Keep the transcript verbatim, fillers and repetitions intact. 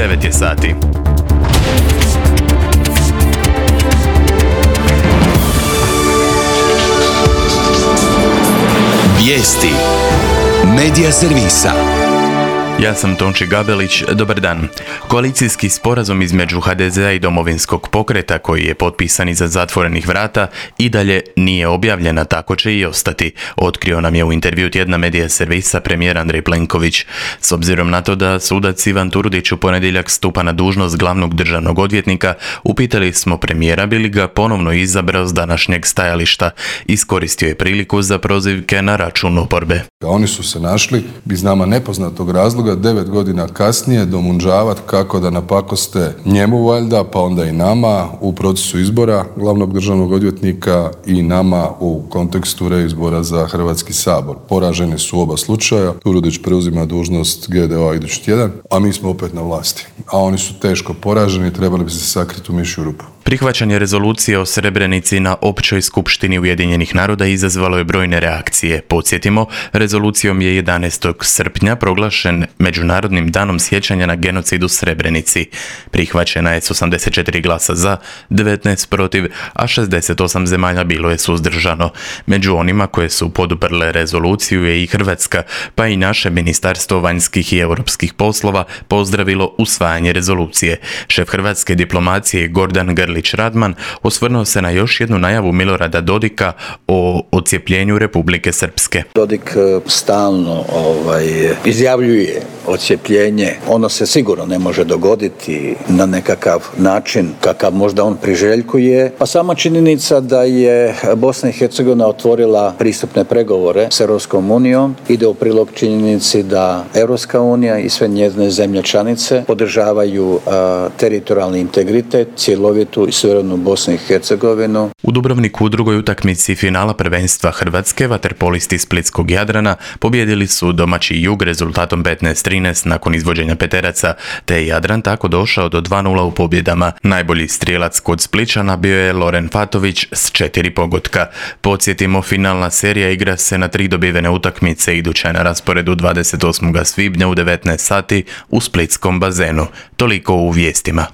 devet je sati. Vijesti Medija servisa. Ja sam Tonči Gabelić, dobar dan. Koalicijski sporazum između ha de zea i Domovinskog pokreta, koji je potpisan iza zatvorenih vrata, i dalje nije objavljen, a tako će i ostati, otkrio nam je u intervju tjedna Medija servisa premijer Andrej Plenković. S obzirom na to da sudac Ivan Turudić u ponedjeljak stupa na dužnost glavnog državnog odvjetnika, upitali smo premijera bi li ga ponovno izabrao s današnjeg stajališta. Iskoristio je priliku za prozivke na račun oporbe. Oni su se našli iz nama nepoznatog razloga devet godina kasnije domunđavati kako da napakoste njemu valjda, pa onda i nama u procesu izbora glavnog državnog odvjetnika i nama u kontekstu reizbora za Hrvatski sabor. Poraženi su oba slučaja. Turudić preuzima dužnost ge de o-a idući tjedan, a mi smo opet na vlasti. A oni su teško poraženi, trebali bi se sakriti u mišju rupu. Prihvaćanje rezolucije o Srebrenici na Općoj skupštini Ujedinjenih naroda izazvalo je brojne reakcije. Podsjetimo, rezolucijom je jedanaestog srpnja proglašen Međunarodnim danom sjećanja na genocid u Srebrenici. Prihvaćena je s osamdeset četiri glasa za, devetnaest protiv, a šezdeset osam zemalja bilo je suzdržano. Među onima koje su poduprle rezoluciju je i Hrvatska, pa i naše Ministarstvo vanjskih i europskih poslova pozdravilo usvajanje rezolucije. Šef hrvatske diplomacije Gordan Grlić-Radman osvrnuo se na još jednu najavu Milorada Dodika o odcijepljenju Republike Srpske. Dodik stalno ovaj, izjavljuje odcijepljenje. Ono se sigurno ne može dogoditi na nekakav način kakav možda on priželjkuje. Pa sama činjenica da je Bosna i Hercegovina otvorila pristupne pregovore s Europskom unijom ide u prilog činjenici da Europska unija i sve njezine zemlje članice podržavaju a, teritorijalni integritet, cjelovitu i suverenu Bosnu i Hercegovinu. U Dubrovniku u drugoj utakmici finala prvenstva Hrvatske vaterpolisti Splitskog Jadrana pobijedili su domaći Jug rezultatom petnaest trinaest nakon izvođenja peteraca, te je Jadran tako došao do dva nula u pobjedama. Najbolji strijelac kod Splićana bio je Loren Fatović s četiri pogotka. Podsjetimo, finalna serija igra se na tri dobivene utakmice, iduća je na rasporedu dvadeset osmog svibnja u devetnaest sati u splitskom bazenu. Toliko u vijestima.